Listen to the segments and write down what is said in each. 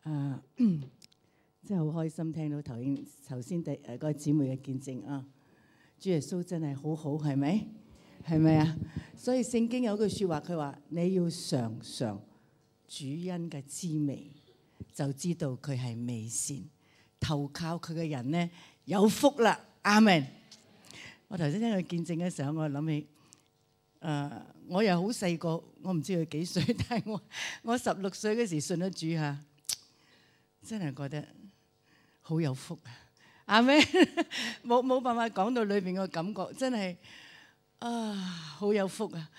真係好開心聽到頭先嗰個姊妹嘅見證啊！主耶穌真係好好，係咪？係咪啊？所以聖經有句説話，佢話你要嘗嘗主恩嘅滋味，就知道佢係美善。投靠佢嘅人呢，有福啦！阿們。我頭先聽佢見證嘅時候，我諗起我又好細個，我唔知佢幾歲，但係我16歲嗰時信咗主嚇，真係覺得好有福啊！阿們，冇辦法講到裏邊個感覺，真係好有福啊！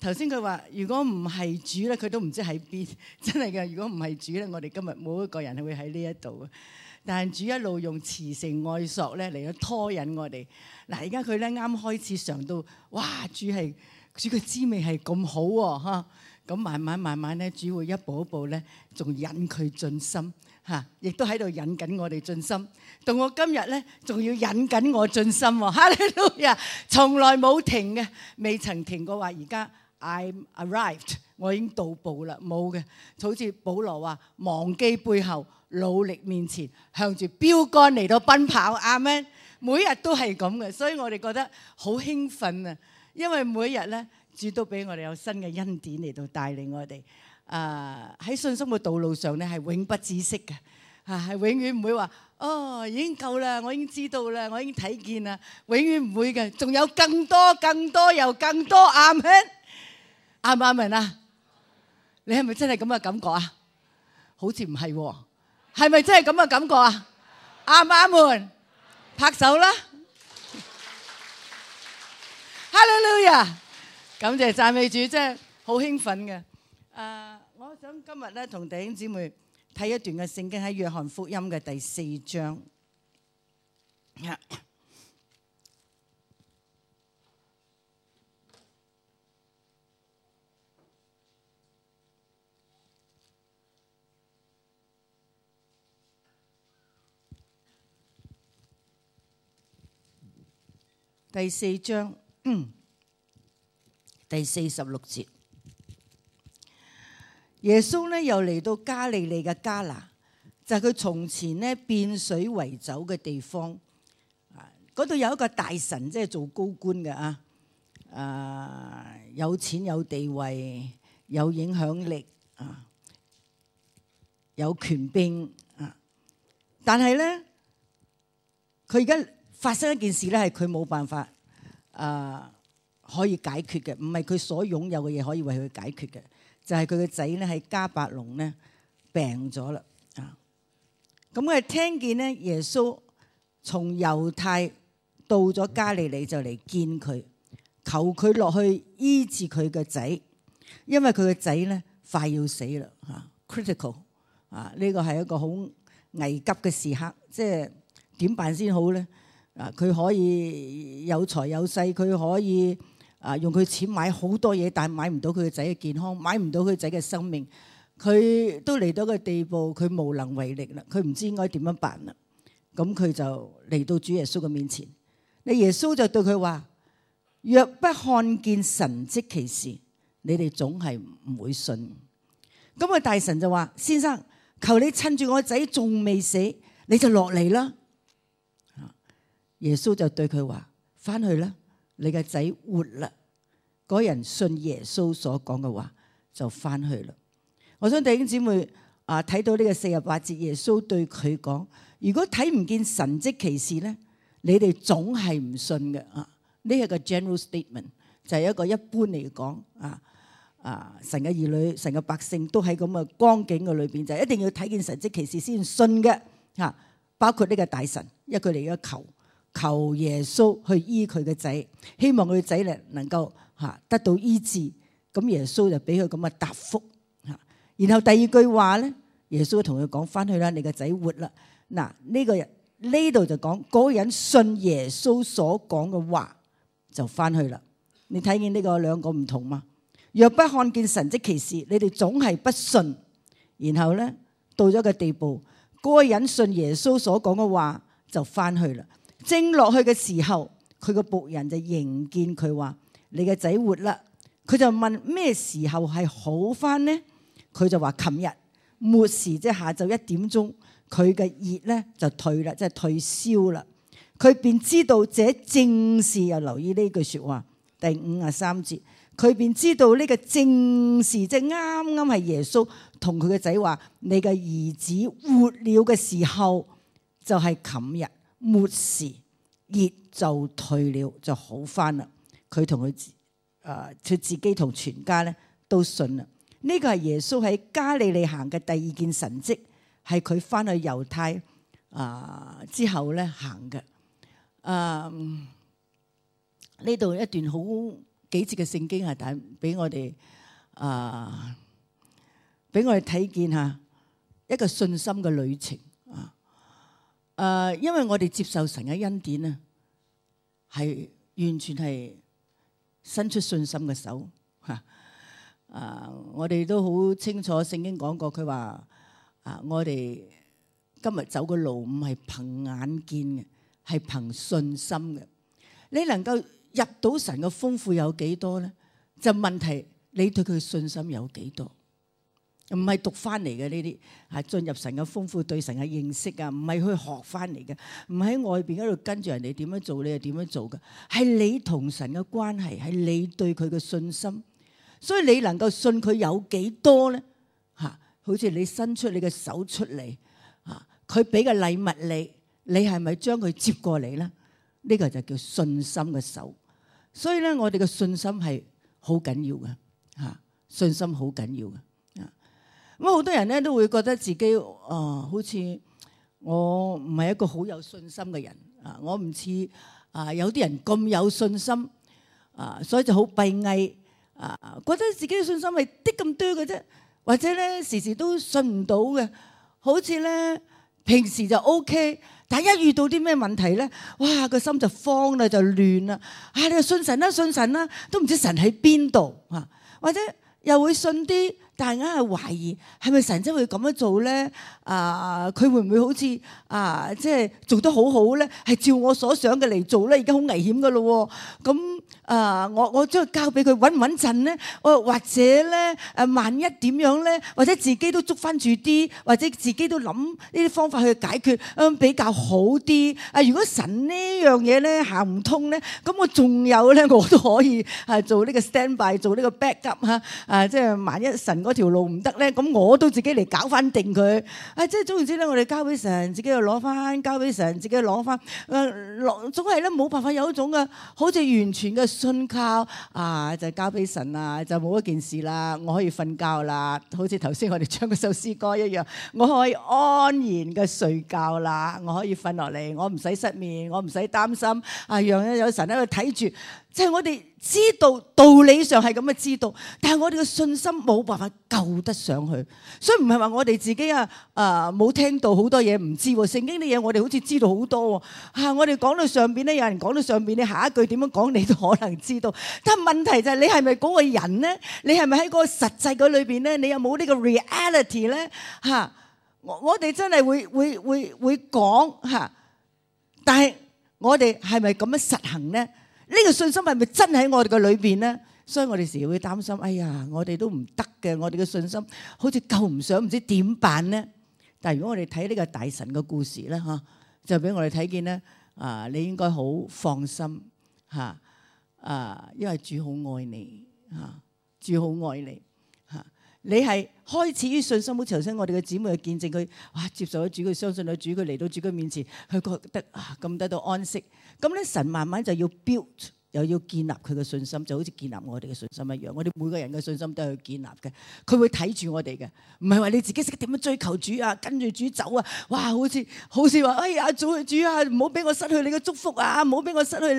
頭先佢話如果唔係主咧，佢都唔知喺邊，真係嘅。如果唔係主咧，我哋今日冇一個人係會喺呢一度啊！但係主一路用慈繩愛索咧嚟到拖引我哋。嗱，而家佢咧啱開始嘗到，哇！主嘅滋味係咁好喎，嚇！咁慢慢咧，主會一步一步咧，仲引佢進心嚇，亦都喺度引緊我哋進心。到我今日咧，仲要引緊我進心喎！哈利路亞，從來冇停嘅，未曾停過話。而家 I'm arrived， 我已經到步啦，冇嘅。好似保羅話：忘記背後，努力面前，向住標竿嚟到奔跑。阿們，每日都係咁嘅，所以我哋覺得好興奮啊！因為每日咧，主都俾我哋有新嘅恩典嚟到帶領我哋。喺信心嘅道路上咧，係永不止息嘅，係永遠唔會話已經夠啦，我已經知道啦，我已經睇見啦，永遠唔會嘅，仲有更多又更多。阿們，阿唔阿們啊？你係咪真係咁嘅感覺啊？好似唔係喎，係咪真係咁嘅感覺啊？阿唔阿們，拍手啦！哈利路亞，感謝讚美主，真係好興奮嘅。我想今日咧同弟兄姊妹睇一段嘅聖經，喺約翰福音嘅第4章。第4章。第46節，耶穌咧又嚟到加利利嘅迦拿，就係佢從前咧變水為酒嘅地方。嗰度有一個大臣，即係做高官嘅有錢有地位有影響力有權柄但係咧佢而家發生一件事咧，係佢冇辦法可以解決嘅，唔係佢所擁有嘅嘢可以為佢解決嘅，就係佢嘅仔咧喺迦百農咧病咗啦。咁佢聽見咧耶穌從猶太到咗加利利，就嚟見佢，求佢落去醫治佢嘅仔，因為佢嘅仔咧快要死啦，critical 呢個係一個好危急嘅時刻，即係點辦先好咧？佢可以有財有勢，佢可以用佢錢買好多嘢，但係買唔到佢嘅仔嘅健康，買唔到佢仔嘅生命，佢都嚟到個地步，佢無能為力啦，佢唔知應該點樣辦啦。咁佢就嚟到主耶穌嘅面前，你耶穌就對佢話：若不看見神蹟奇事，你哋總係唔會信。咁個大臣就話：先生，求你趁住我仔仲未死，你就落嚟啦。耶穌就對佢話：翻去啦，你嘅仔活啦。嗰人信耶穌所講嘅話，就翻去啦。我想弟兄姊妹睇到呢個48節，耶穌對佢講：如果睇唔見神蹟奇事咧，你哋總係唔信嘅。呢係個 general statement， 就係一個一般嚟講神嘅兒女、神嘅百姓都喺咁嘅光景嘅裏邊，就係一定要睇見神蹟奇事先信嘅。包括呢個大臣，因為佢嚟咗求耶穌去醫佢嘅仔，希望佢嘅仔咧能夠得到醫治。咁耶穌就俾佢咁嘅答覆。然後第二句話咧，耶穌同佢講：翻去啦，你個仔活啦。嗱，呢度就講嗰個人信耶穌所講嘅話就翻去啦。你睇見呢個兩個唔同嘛？若不看見神蹟奇事，你哋總係不信。然後咧到咗個地步，嗰個人信耶穌所講嘅話就翻去啦。正落去嘅時候，佢個僕人就迎見佢話：你嘅仔活啦。佢就問咩時候係好翻呢？佢就話：琴日末時即係下晝1點鐘，佢嘅熱咧就退啦，即係退燒啦。佢便知道這正是，又留意呢句説話，第53節，佢便知道呢個正是，即係啱啱係耶穌同佢嘅仔話：你嘅兒子活了嘅時候，就係琴日末時，熱就退了，就好返啦。佢同佢自己同全家咧都信啦。呢個係耶穌喺加利利行嘅第2件神蹟，係佢返去猶太之後咧行嘅。呢度一段好幾節嘅聖經係但俾我哋睇見下一個信心嘅旅程因為我哋接受神嘅恩典啊，係完全係伸出信心嘅手我哋都好清楚聖經講過，佢話我哋今日走嘅路唔係憑眼見嘅，係憑信心嘅。你能夠入到神嘅豐富有幾多咧？就問題你對佢嘅信心有幾多？唔係讀翻嚟嘅呢啲，係進入神嘅豐富對神嘅認識啊，唔係去學翻嚟嘅，唔喺外邊嗰度跟住人哋點樣做，你係點樣做嘅？係你同神嘅關係，係你對佢嘅信心。所以你能夠信佢有幾多咧？好似你伸出你嘅手出嚟佢俾嘅禮物你係咪將佢接過嚟咧？呢個就叫信心嘅手。所以咧，我哋嘅信心係好緊要嘅信心好緊要嘅咁好多人咧都會覺得自己好似我唔係一個好有信心嘅人我唔似有啲人咁有信心所以就好閉翳覺得自己嘅信心係啲咁多嘅啫，或者咧時時都信唔到嘅，好似咧平時就 OK， 但係一遇到啲咩問題咧，哇個心就慌啦，就亂啦你就信神啦，信神啦，都唔知神喺邊度或者又會信啲，但係硬係懷疑係咪神真會咁樣做咧？佢會唔會好似即係做得好好咧？係照我所想嘅嚟做咧，已經好危險噶咯。咁我將佢交俾佢穩唔穩陣咧？或者咧萬一點樣咧？或者自己都捉翻住啲，或者自己都諗呢啲方法去解決比較好啲。如果神呢樣嘢咧行唔通咧，咁我仲有咧，我都可以做呢個 stand by， 做呢個 backup 即係萬一神嗰條路唔得咧，咁我都自己嚟搞翻定佢。即係總言之咧，我哋交俾神，自己又攞翻；交俾神，自己又攞翻。總係咧冇辦法有一種嘅好似完全嘅信靠就交俾神啦，就冇一件事啦，我可以瞓覺啦。好似頭先我哋唱嗰首詩歌一樣，我可以安然嘅睡覺啦，我可以瞓落嚟，我唔使失眠，我唔使擔心。讓有神喺度睇住。即係我哋知道道理上係咁嘅知道，但係我哋嘅信心冇辦法救得上去，所以唔係話我哋自己冇聽到好多嘢唔知喎。聖經啲嘢我哋好似知道好多喎我哋講到上邊咧，有人講到上邊，你下一句點樣講你都可能知道。但係問題就係你係咪嗰個人咧？你係咪喺嗰個實際嗰裏邊咧？你有冇呢個 reality 咧？我哋真係會講但係我哋係咪咁樣實行咧？呢個信心係咪真喺我哋嘅裏邊咧？所以我哋時會擔心，哎呀，我哋都唔得嘅，我哋嘅信心好似救唔上，唔知點辦咧？但係如果我哋睇呢個大神嘅故事咧，就俾我哋睇見咧，你應該好放心因為主好愛你主好愛你你係開始於信心，好似頭先我哋嘅姊妹去見證佢，接受咗主，佢相信咗主，佢嚟到主嘅面前，佢覺得咁得到安息。咁咧神慢慢就要 build， 又要建立佢嘅信心，就好似建立我哋嘅信心一樣。我哋每個人嘅信心都係去建立嘅，佢會睇住我哋嘅，唔係話你自己識點樣追求主跟住主走哇！好似話哎呀，主唔好俾我失去你嘅祝福唔好俾我失去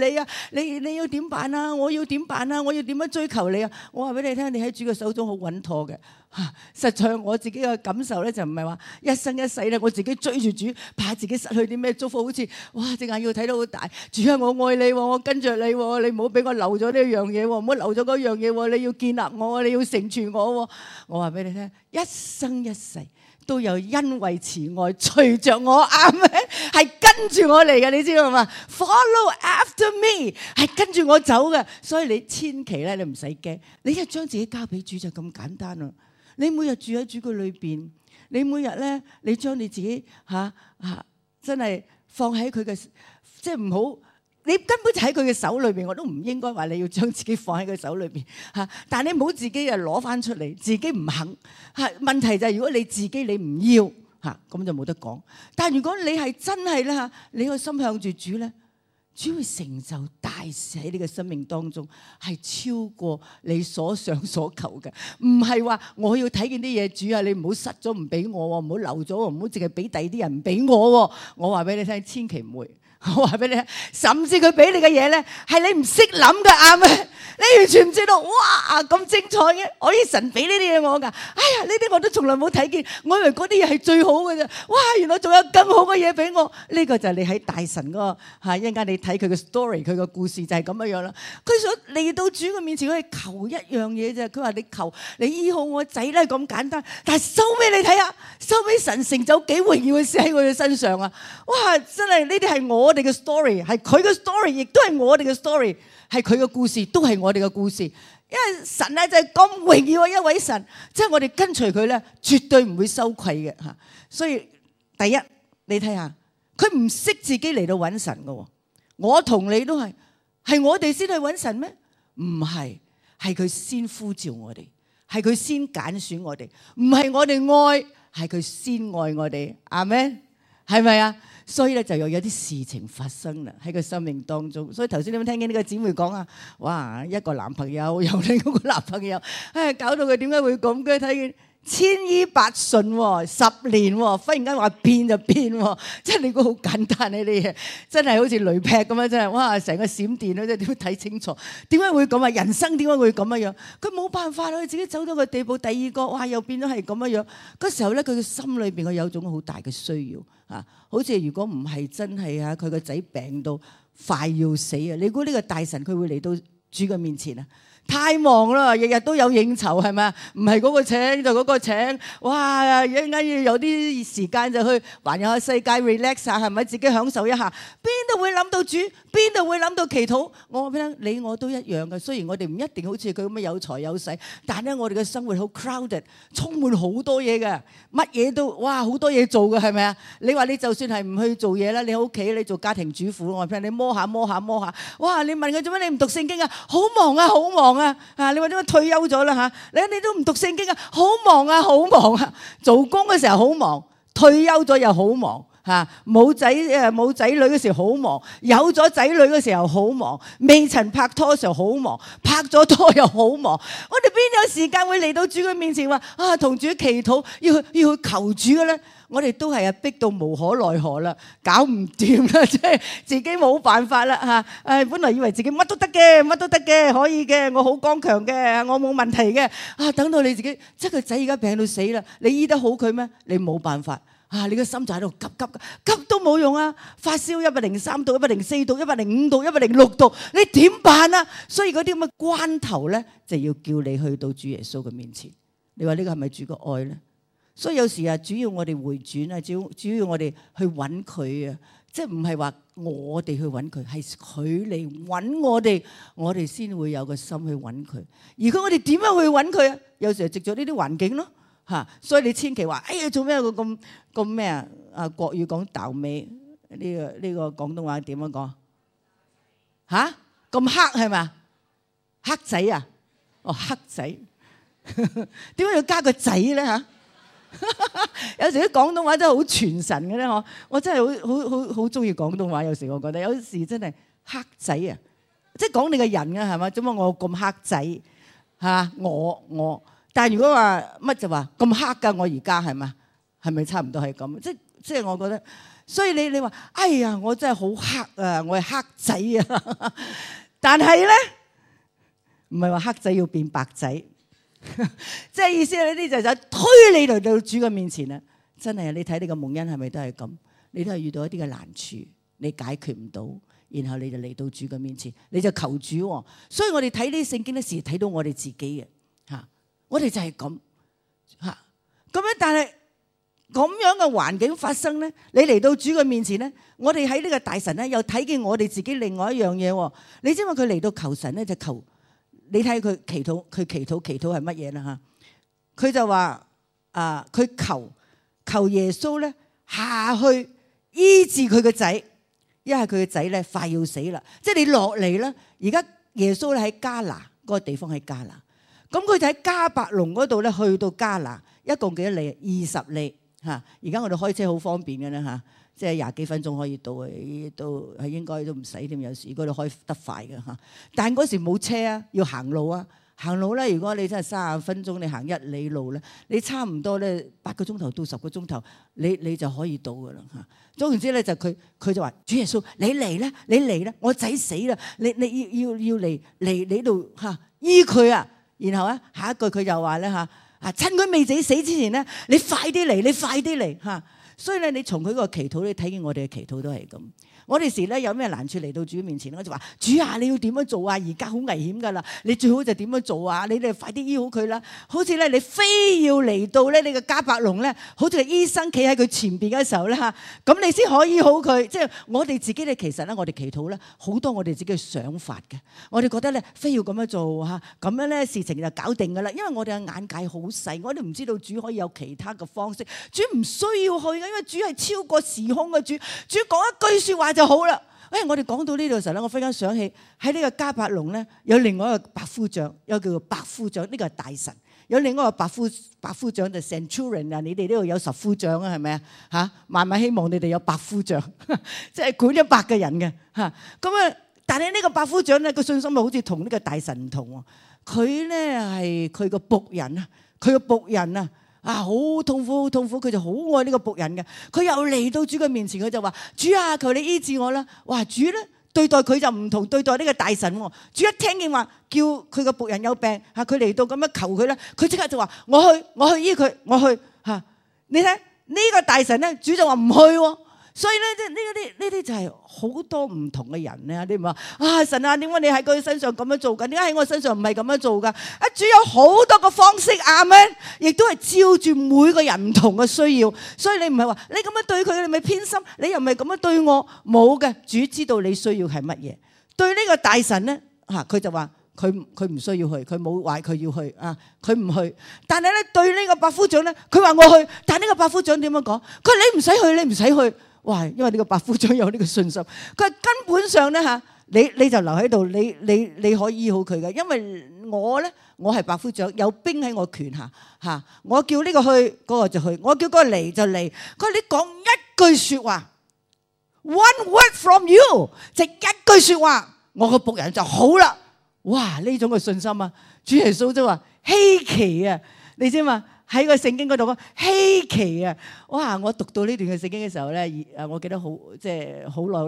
你你要點辦我要點辦我要點樣追求你我話俾你聽，你喺主嘅手中好穩妥嘅。實在我自己嘅感受咧，就唔係話一生一世咧，我自己追住主，怕自己失去啲咩祝福，好似隻眼要睇到好大。主我愛你我跟着你你唔好俾我漏咗呢樣嘢唔好漏咗嗰樣嘢你要建立我你要成全我我話俾你聽，一生一世都有恩惠慈愛隨着我係跟住我嚟嘅，你知道嘛？ Follow after me 係跟住我走嘅，所以你千祈咧你唔使驚，你一將自己交俾主就咁簡單你每日住喺主嘅裏邊，你每日咧，你將你自己真係放喺佢嘅，即係唔好，你根本就喺佢嘅手裏邊，我都唔應該話你要將自己放喺佢手裏邊嚇。但係你唔好自己啊攞翻出嚟，自己唔肯嚇。問題就係如果你自己你唔要嚇，咁就冇得講。但係如果你係真係咧嚇，你個心向住主咧，主會成就大事喺你嘅生命當中，係超過你所想所求嘅。唔係話我要睇見啲嘢，主啊，你唔好失咗唔俾我喎，唔好漏咗喎，唔好淨係俾第二啲人唔俾我喎。我話俾你聽，千祈唔會。我話俾你聽，甚至佢俾你嘅嘢咧，係你唔識諗嘅，啱咩？你完全唔知道，哇咁精彩嘅，可以神俾呢啲嘢我㗎。哎呀，呢啲我都從來冇睇見，我以為嗰啲嘢係最好嘅啫。哇，原來仲有更好嘅嘢俾我。呢個就係你喺大神嗰個嚇，一陣間你睇佢嘅 story，佢個故事就係咁樣樣啦。佢想嚟到主嘅面前，佢係求一樣嘢啫。佢話你求你醫好我仔咧，咁簡單。但係收尾你睇下，收尾神成就幾榮耀嘅事喺佢嘅身上啊！哇，真係呢啲係我哋嘅 story， 係佢嘅 story， 亦都係我哋嘅 story， 係佢嘅故事，都係我哋嘅故事。因為神咧就係咁榮耀嘅一位神，即係我哋跟隨佢咧，絕對唔會羞愧嘅嚇。所以第一，你睇下，佢唔識自己嚟到揾神嘅。我同你都係我哋先去揾神咩？唔係，係佢先呼召我哋，係佢先揀選我哋，唔係我哋愛，係佢先愛我哋。阿們，係咪啊？所以咧就有啲事情發生啦喺佢生命當中。所以頭先你有冇聽見呢個姊妹講啊？哇，一個男朋友又另一個男朋友，搞到佢點解會咁嘅？睇見千依百順喎，10年喎，忽然間話變就變喎，即係你估好簡單呢啲嘢，真係好似雷劈咁樣，真係哇！成個閃電咧，即係點睇清楚？點解會咁啊？人生點解會咁樣？佢冇辦法啦，佢自己走到個地步，第二個哇又變咗係咁樣。嗰時候咧，佢嘅心裏邊佢有種好大嘅需要啊，好似如果唔係真係啊，佢個仔病到快要死啊！你估呢個大神佢會嚟到主嘅面前啊？太忙啦，日日都有應酬係咪啊？唔係嗰個請就嗰個請，哇！一陣間要有啲時間就去環遊下世界 relax 下，係咪自己享受一下？邊度會諗到主？邊度會諗到祈禱？我話俾你聽，你我都一樣嘅。雖然我哋唔一定好似佢咁樣有財有勢，但係咧我哋嘅生活好 crowded， 充滿好多嘢嘅，乜嘢都哇好多嘢做嘅係咪啊？你話你就算係唔去做嘢啦，你喺屋企你做家庭主婦，我話俾你摸下，哇！你問佢做咩你唔讀聖經啊？好忙啊，好忙啊！你話點解退休咗啦嚇？你都唔讀聖經啊？好忙啊，好忙啊！做工嘅時候好忙，退休咗又好忙嚇。冇仔女嘅時候好忙，有咗仔女嘅時候好忙，未曾拍拖嘅時候好忙，拍咗拖又好忙。我哋邊有時間會嚟到主嘅面前話啊同主祈禱，要去求主嘅咧？我哋都係逼到無可奈何啦，搞唔掂啦，即係自己冇辦法啦嚇。本來以為自己乜都得嘅，可以嘅，我好剛強嘅，我冇問題嘅。等到你自己，即係個仔而家病到死啦，你醫得好佢咩？你冇辦法你個心就喺度急都冇用啊！發燒103度、104度、105度、106度，你點辦啊？所以嗰啲咁嘅關頭咧，就要叫你去到主耶穌嘅面前。你話呢個係咪主嘅愛咧？所以有時主要我哋回轉啊，主要我哋去揾佢啊，即係唔係話我哋去揾佢，係佢嚟揾我哋，我哋先會有個心去揾佢。而佢我哋點樣去揾佢啊？有時藉咗呢啲環境咯嚇，所以你千祈話哎呀做咩個咁咩啊？國語講豆尾，呢個廣東話點樣講嚇？咁黑係咪？黑仔啊？哦，黑仔，點解要加個仔咧嚇？有時啲廣東話真係好傳神嘅咧，我真係好中意廣東話。有時我覺得，有時真係黑仔啊，即係講你個人啊，係嘛？做乜我咁黑仔嚇？我，但係如果話乜就話咁黑㗎，我而家係嘛？係咪差唔多係咁？即係我覺得，所以你話，哎呀，我真係好黑啊，我係黑仔啊！但係咧，唔係話黑仔要變白仔。即係意思呢啲就推你嚟到主嘅面前啦，真係你睇你個蒙恩係咪都係咁？你都係遇到一啲嘅難處，你解決唔到，然後你就嚟到主嘅面前，你就求主。所以我哋睇呢啲聖經咧，時睇到我哋自己嘅吓，我哋就係咁吓咁樣。但係咁樣嘅環境發生咧，你嚟到主嘅面前咧，我哋喺呢個大神咧又睇見我哋自己另外一樣嘢。你知唔知佢嚟到求神咧就求？你睇佢祈禱係乜嘢啦嚇？佢就話佢求耶穌咧下去醫治佢個仔，因為佢個仔咧快要死啦。即係你落嚟啦，而家耶穌咧喺迦拿嗰個地方喺迦拿，咁佢就喺迦百農嗰度咧去到迦拿，一共幾多里？20里嚇。而家我哋開車好方便嘅啦嚇。即係20幾分鐘可以到，都係應該都唔使添。有時如果你開得快嘅嚇，但係嗰時冇車啊，要行路啊。行路咧，如果你真係30分鐘，你行1里路咧，你差唔多咧8個鐘頭到10個鐘頭，你就可以到噶啦嚇。總言之咧，就佢就話：主耶穌，你嚟啦，你嚟啦，我仔死啦，你要嚟呢度嚇醫佢啊！然後咧下一句佢就話咧嚇趁佢未死之前咧，你快啲嚟，你快啲嚟嚇。所以咧，你從佢個祈禱，你睇見我哋嘅祈禱都係咁。我哋時咧有咩難處嚟到主面前，我就話：主啊，你要點樣做啊？而家好危險噶啦，你最好就點樣做啊？你哋快啲醫好佢啦！好似咧，你非要嚟到咧，你個迦百農咧，好似個醫生企喺佢前邊嘅時候咧嚇，咁你先可以醫好佢。即係我哋自己咧，其實咧，我哋祈禱咧好多我哋自己嘅想法嘅。我哋覺得咧，非要咁樣做嚇，咁樣咧事情就搞定噶啦。因為我哋嘅眼界好細，我哋唔知道主可以有其他嘅方式。主唔需要去嘅，因為主係超過時空嘅主。主講一句説話就好啦。我哋講到呢度嘅時候咧，我忽然間想起喺呢個迦百農咧，有另外一個百夫長，有叫做百夫長，呢個係大臣。有另外一個百夫長就 Centurion 啊，你哋呢度有10夫長啊，係咪啊？嚇，萬萬希望你哋有百夫長，即係管100個人嘅嚇。咁啊，但係呢個百夫長咧，個信心好似同呢個大臣唔同喎。佢咧係佢個僕人啊，佢個僕人啊。好痛苦，好痛苦！佢就好愛呢個僕人嘅。佢又嚟到主嘅面前，佢就話：主啊，求你醫治我啦！哇！主咧對待佢就唔同對待呢個大臣喎。主一聽見話叫佢個僕人有病嚇，佢嚟到咁樣求佢咧，佢即刻就話：我去醫佢，我去嚇。你睇呢個大臣咧，主就話唔去喎。所以咧，呢啲就係好多唔同嘅人咧。你唔話神啊，點解你喺佢身上咁樣做緊？點解喺我身上唔係咁樣做㗎？主有好多個方式，阿們，亦都係照住每個人唔同嘅需要。所以你唔係話你咁樣對佢，你咪偏心；你又唔係咁樣對我，冇嘅。主知道你需要係乜嘢。對呢個大臣咧佢就話佢唔需要去，佢冇話佢要去佢唔去。但係咧對呢個百夫長咧，佢話我去。但係呢個百夫長點樣講？佢話你唔使去，你唔使去。哇！因為呢個百夫長有呢個信心，佢根本上咧你就留喺度，你可以醫好佢嘅。因為我係百夫長，有兵喺我拳下我叫呢個去，嗰個就去；我叫嗰個嚟就嚟。佢話你講一句説話 ，one word from you， 就一句説話，我個僕人就好啦。哇！呢種嘅信心啊，主耶穌都話稀奇啊，你知嘛？喺個聖經嗰度講稀奇啊！哇！我讀到呢段嘅聖經嘅時候咧，我記得好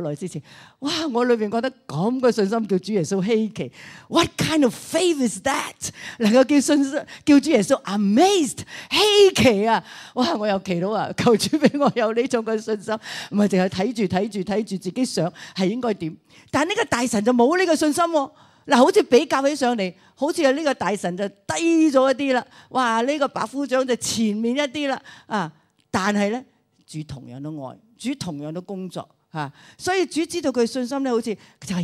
耐之前，哇！我裏邊覺得咁嘅信心叫主耶穌稀奇。What kind of faith is that？ 能夠叫主耶穌 amazed 稀奇啊！哇！我又祈禱啊，求主俾我有呢種嘅信心，唔係淨係睇住自己想係應該點。但係呢個大臣就冇呢個信心喎。嗱，好似比較起上嚟，好似呢個大臣就低咗一啲啦。哇！呢個百夫長就前面一啲啦。但係咧，主同樣都愛，主同樣都工作所以主知道佢信心咧，好似就係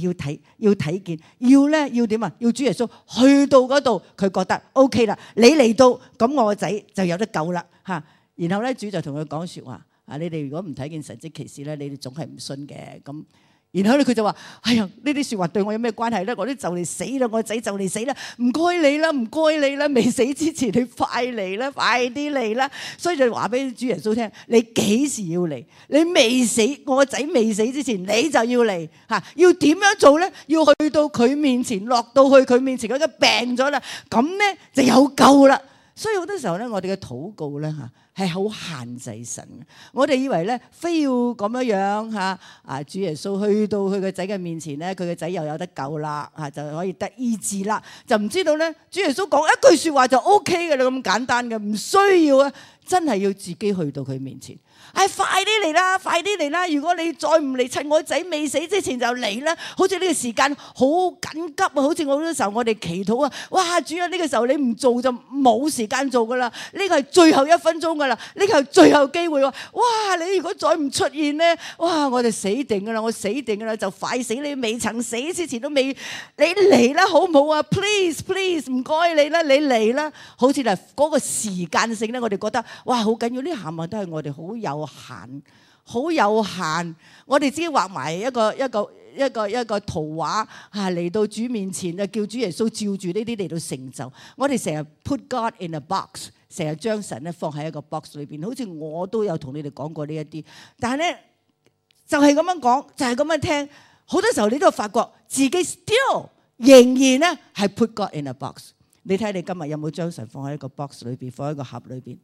要睇見，要點啊？要主耶穌去到嗰度，佢覺得 OK 啦。你嚟到，咁我個仔就有得救啦然後咧，主就同佢講説話你哋如果唔睇見神蹟奇事咧，你哋總係唔信嘅咁。然後咧佢就話：哎呀，呢啲説話對我有咩關係咧？我都就嚟死啦，我個仔就嚟死啦！唔該你啦，唔該你啦，未死之前你快嚟啦，快啲嚟啦！所以就話俾主耶穌聽：你幾時要嚟？你未死，我個仔未死之前，你就要嚟要點樣做咧？要去到佢面前，落到去佢面前，佢都病咗啦，咁咧就有救啦。所以好多時候咧，我哋嘅禱告咧係好限制神嘅。我哋以為咧，非要咁樣主耶穌去到佢個仔嘅面前咧，佢個仔又有得救啦就可以得醫治啦。就唔知道咧，主耶穌講一句説話就 OK 嘅啦，咁簡單嘅，唔需要真係要自己去到佢面前。快啲嚟啦，快啲嚟啦！如果你再唔嚟，趁我仔未死之前就嚟啦。好似呢個時間好緊急好似好多時候我哋祈禱哇！主啊，呢個時候你唔做就冇時間做噶啦。呢個係最後1分鐘噶噶啦，呢個係最後機會喎！哇！你如果再唔出現咧，哇！我就死定噶啦，我死定噶啦，就快死！你未曾死之前都未，你嚟啦，好唔好啊？Please please，唔該你啦，你嚟啦！好似係嗰個時間性咧，我哋覺得哇好緊要，呢行物都係我哋好有限，好有限，我哋只畫埋一個圖畫嚇嚟到主面前啊，叫主耶穌照住呢啲嚟到成就。我哋成日 put God in a box， 成日將神咧放喺一個 box 裏邊。好似我都有同你哋講過呢一啲，但係咧就係咁樣講，就係咁樣聽。好多時候你都發覺自己 still 仍然咧係 put God in a box。你睇你今日有冇將神放喺一個 box 裏邊，放喺一個盒裏邊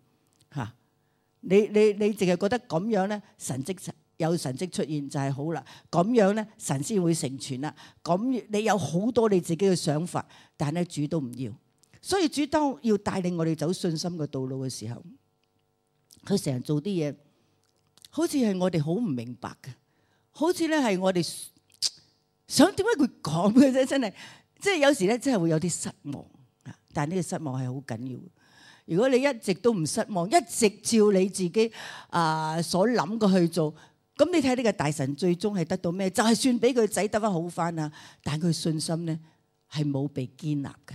嚇？你淨係覺得咁樣咧神蹟有神蹟出現就係好啦，咁樣咧神先會成全啦。咁你有好多你自己嘅想法，但係咧主都唔要。所以主當要帶領我哋走信心嘅道路嘅時候，佢成日做啲嘢，好似係我哋好唔明白嘅，好似咧係我哋想點解佢講嘅啫，真係即係有時咧真係會有啲失望。但係呢個失望係好緊要。如果你一直都唔失望，一直照你自己所諗嘅去做，咁你睇呢個大臣最終係得到咩？就係算俾佢仔得翻好翻啊，但係佢信心咧係冇被建立嘅。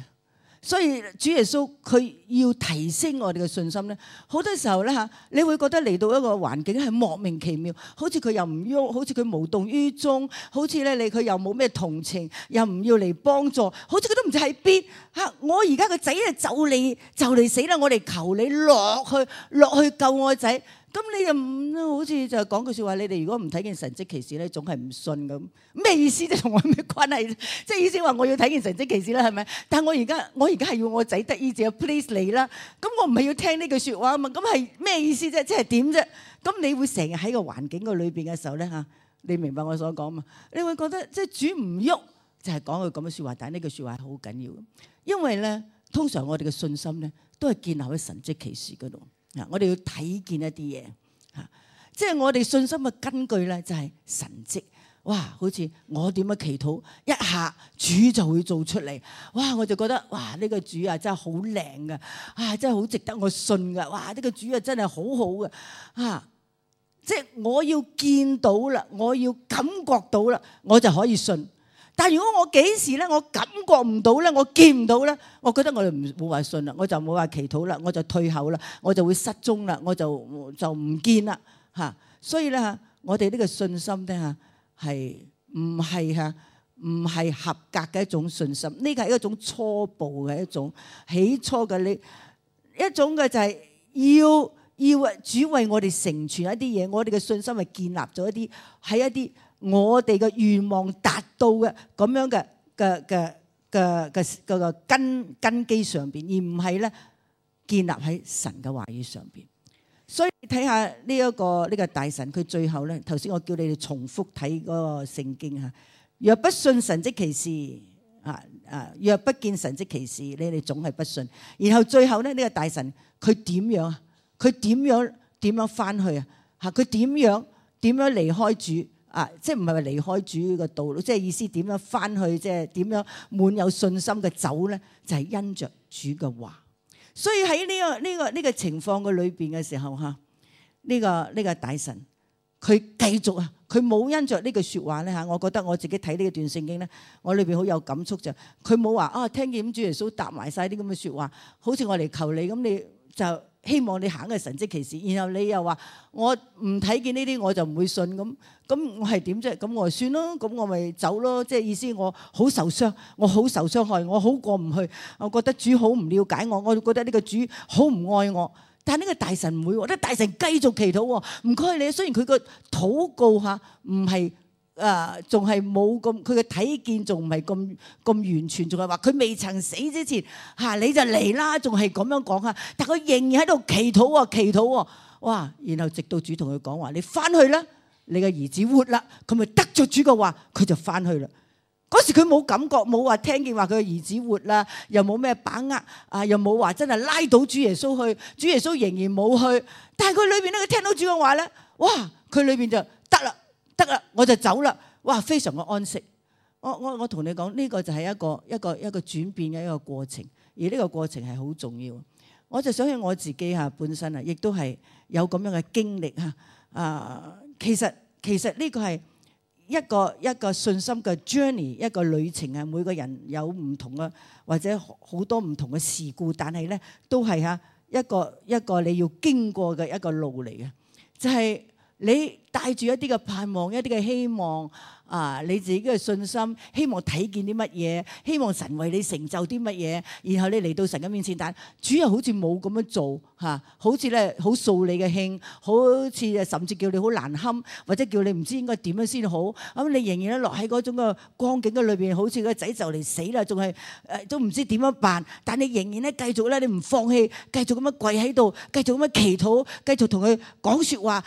所以主耶穌佢要提升我哋嘅信心咧，好多時候咧嚇，你會覺得嚟到一個環境係莫名其妙，好似佢又唔喐，好似佢無動於衷，好似咧佢又冇咩同情，又唔要嚟幫助，好似佢都唔知喺邊嚇。我而家個仔咧就嚟死啦，我哋求你落去救我個仔。咁你又唔好似就講句説話，你哋如果唔睇見神蹟奇事咧，總係唔信咁。咩意思啫？同我咩關係？即係意思話我要睇見神蹟奇事啦，係咪？但係我而家係要我仔得醫治，please 嚟啦。咁我唔係要聽呢句説話啊嘛。咁係咩意思啫？即係點啫？咁你會成日喺個環境個裏邊嘅時候咧嚇，你明白我所講嘛？你會覺得即係主唔喐，就係講句咁嘅説話。但係呢句説話係好緊要，因為咧通常我哋嘅信心咧都係建立喺神蹟奇事嗰度。我哋要睇見一啲嘢，即係我哋信心嘅根據咧，就係神蹟。哇！好似我點樣祈禱，一下主就會做出嚟。哇！我就覺得哇，呢個主啊真係好靚噶，真係好值得我信噶。哇！呢個主啊真係好好嘅，即係我要見到啦，我要感覺到啦，我就可以信。但如果我幾時咧，我感覺唔到咧，我見唔到咧，我覺得我哋冇話信啦，我就冇話祈禱啦，我就退後啦，我就會失蹤啦，我就唔見啦嚇。所以咧嚇，我哋呢個信心咧嚇係唔係合格嘅一種信心？呢個係一種初步嘅一種起初嘅呢一種嘅就係要主為我哋成全一啲嘢，我哋嘅信心係建立咗一啲喺一啲我哋嘅願望達到嘅咁樣嘅根基上邊，而唔係咧建立喺神嘅話語上邊。所以睇下呢一個大臣，佢最後咧，頭先我叫你哋重複睇嗰個聖經嚇。若不信神蹟奇事若不見神蹟奇事，你哋總係不信。然後最後咧，呢個大臣佢點樣啊？佢點樣翻去啊？嚇！佢點樣離開主？即係唔係話離開主嘅道路，即係意思點樣翻去，即係點樣滿有信心嘅走咧？就係因着主嘅話。所以喺呢個情況嘅裏邊嘅時候嚇，呢個大臣佢繼續佢冇因着呢句説話咧嚇。我覺得我自己睇呢段聖經咧，我裏邊好有感觸就佢冇話聽見主耶穌答埋晒啲咁嘅説話，好似我嚟求你咁，你就希望你行嘅神蹟奇事，然後你又話我唔睇見呢啲我就唔會信咁我係點啫？咁我就算咯，咁我咪走咯。即係意思我好受傷，我好受傷害，我好過唔去。我覺得主好唔了解我，我覺得呢個主好唔愛我。但係呢個大臣唔會喎，呢個大臣繼續祈禱喎。唔該你，雖然佢個禱告嚇唔係仲係冇咁，佢嘅睇見仲唔係咁完全，仲係話佢未曾死之前你就嚟啦，仲係咁樣講嚇。但佢仍然喺度祈禱喎。哇！然後直到主同佢講話，你翻去啦，你嘅兒子活啦，佢咪得咗主嘅話，佢就翻去啦。嗰時佢冇感覺，冇話聽見話佢嘅兒子活啦，又冇咩把握又冇話真係拉到主耶穌去，主耶穌仍然冇去。但係佢裏邊咧，佢聽到主嘅話咧，哇！佢裏邊就得啦，我就走啦。哇！非常嘅安息。我同你講，呢個就係一個轉變嘅一個過程，而呢個過程係好重要。我就想起我自己本身亦都係有咁樣嘅經歷其實呢個係一個信心嘅 journey， 一個旅程每個人有唔同嘅或者好多唔同嘅事故，但係咧都係一個你要經過嘅一個路嚟嘅，就係你帶住一啲嘅盼望，一啲嘅希望你自己嘅信心，希望睇見啲乜嘢，希望神為你成就啲乜嘢，然後你嚟到神嘅面前，但主又好似冇咁樣做好似咧好掃你嘅興，好似甚至叫你好難堪，或者叫你唔知應該點樣先好，咁你仍然咧落喺嗰種嘅光景嘅裏邊，好似個仔就嚟死啦，仲係都唔知點樣辦，但你仍然咧繼續咧，你唔放棄，繼續咁樣跪喺度，繼續咁樣祈禱，繼續同佢講説話